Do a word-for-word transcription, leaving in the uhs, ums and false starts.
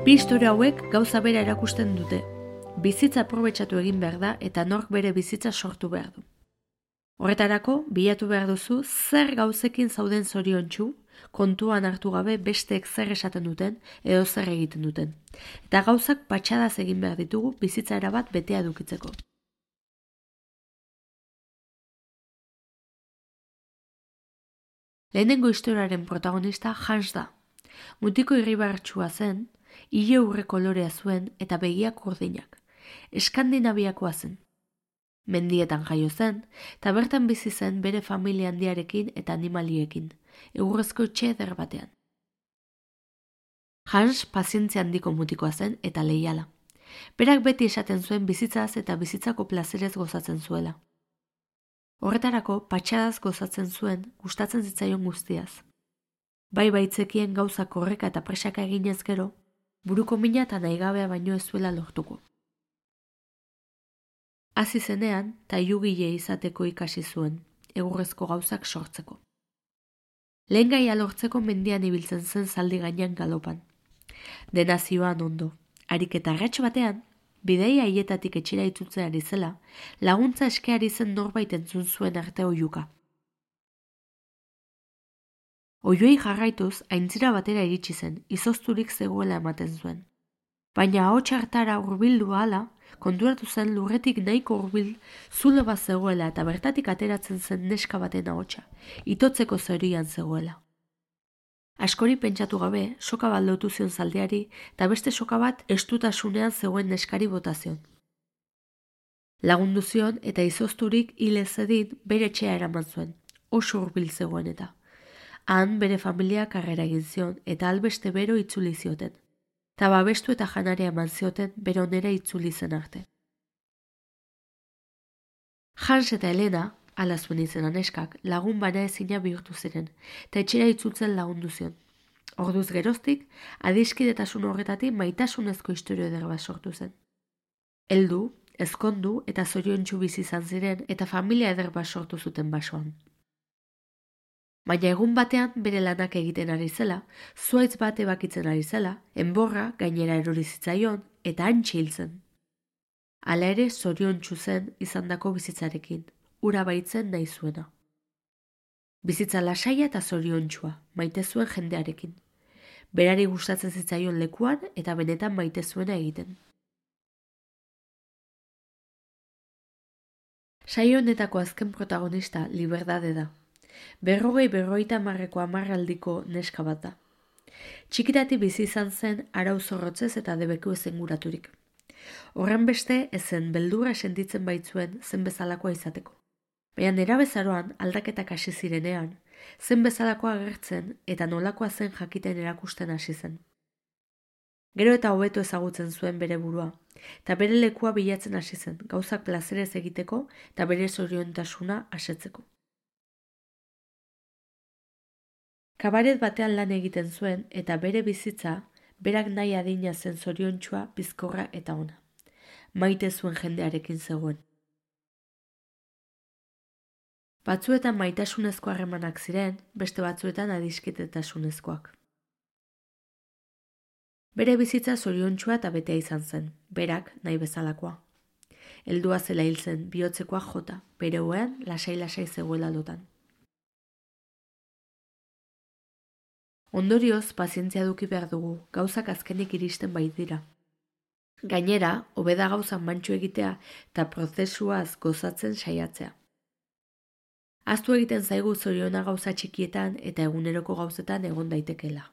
Bi istorio hauek gauza bera erakusten dute. Bizitza aprobetxatu egin behar da eta nork bere bizitza sortu behar du. Horretarako, bilatu behar duzu zer gauzekin zauden zoriontsu, kontuan hartu gabe besteek zer esaten duten edo zer egiten duten. Eta gauzak patxadaz egin behar ditugu bizitza erabat betea edukitzeko. Lehenengo historiaren protagonista Hans da. Mutiko irribartsua zen, ile urre kolorea zuen eta begiak urdinak. Eskandinaviakoa zen. Mendietan jaio zen, eta bertan bizi zen bere familia handiarekin eta animaliekin, egurrezko etxe eder batean. Hans pazientzia handiko mutikoa zen eta leiala. Berak beti esaten zuen bizitzaz eta bizitzako plazerez gozatzen zuela. Horretarako, patxadaz gozatzen zuen, gustatzen zitzaion guztiaz. Bai baitzekien gauza korreka eta presaka eginez gero, buruko mina eta nahigabea baino ez zuela lortuko. Hasi zenean, tailugile izateko ikasi zuen, egurrezko gauzak sortzeko. Lehen gaia lortzeko mendian ibiltzen zen zaldi gainean galopan. Dena zioan ondo, harik eta arrats batean, bideia haietatik etxera itzutzen ari zela, laguntza eskeari zen norbait entzun zuen arte oihuka. Oihuei jarraituz, aintzira batera iritsi zen, izozturik zegoela ematen zuen. Baina ahots hartara hurbildu ahala, konturatu zen lurretik nahiko hurbil zulo bat zegoela eta bertatik ateratzen zen neska baten ahotsa, itotzeko zorian zegoela. Askori pentsatu gabe, soka bat lotu zion zaldiari eta beste soka bat estutasunean zegoen neskari botazion. Lagundu zion eta izozturik hil ez zedin bere etxea eraman zuen, oso hurbil zegoen eta. Han bere familia karrera egin zion eta albeste bero itzuli zioten. Ta babestu eta janaria eman zioten beronera itzuli zen arte. Hans eta Helena, ala zuen izena neskak, lagun bana ezina bihurtu ziren, eta etxera itzultzen lagundu zion. Orduz geroztik, adiskidetasun horretatik maitasunezko istorio eder bat sortu zen. Heldu, ezkondu eta zoriontsu bizi izan ziren eta familia eder bat sortu zuten basoan. Baina egun batean bere lanak egiten ari zela, zuaitz bat ebakitzen ari zela, enborra gainera erori zitzaion eta hantxe hil zen. Hala ere zoriontsu zen izandako bizitzarekin, ura baitzen nahi zuena. Bizitza lasaia eta zoriontsua, maite zuen jendearekin. Berari gustatzen zitzaion lekuan eta benetan maite zuena egiten. Saio honetako azken protagonista Liberdade da. Berrogei berroita marreko amarraldiko neska bat da. Txikitati bizi izan zen arau zorrotzez eta debeku ezenguraturik. Horren beste ezen beldurra sentitzen baitzuen zen bezalakoa izateko. Baina nerabezaroan aldaketak hasi zirenean, zen bezalakoa agertzen eta nolakoa zen jakiten erakusten hasi zen. Gero eta hobeto ezagutzen zuen bere burua, eta bere lekua bilatzen hasi zen, gauzak plazerez egiteko eta bere zoriontasuna asetzeko. Kabaret batean lan egiten zuen eta bere bizitza, berak nahi adina zen zoriontsua, bizkorra eta ona. Maite zuen jendearekin zegoen. Batzuetan maitasunezko harremanak ziren, beste batzuetan adiskidetasunezkoak. Bere bizitza zoriontsua eta betea izan zen, berak nahi bezalakoa. Heldua zela hil zen, bihotzekoa jota, bere oean lasai-lasai zegoela lotan. Ondorioz, pazientzia eduki behar dugu, gauzak azkenik iristen baitira. Gainera, hobeda gauzak mantxu egitea eta prozesuaz gozatzen saiatzea. Ahaztu egiten zaigu zoriona gauza txikietan eta eguneroko gauzetan egon daitekeela.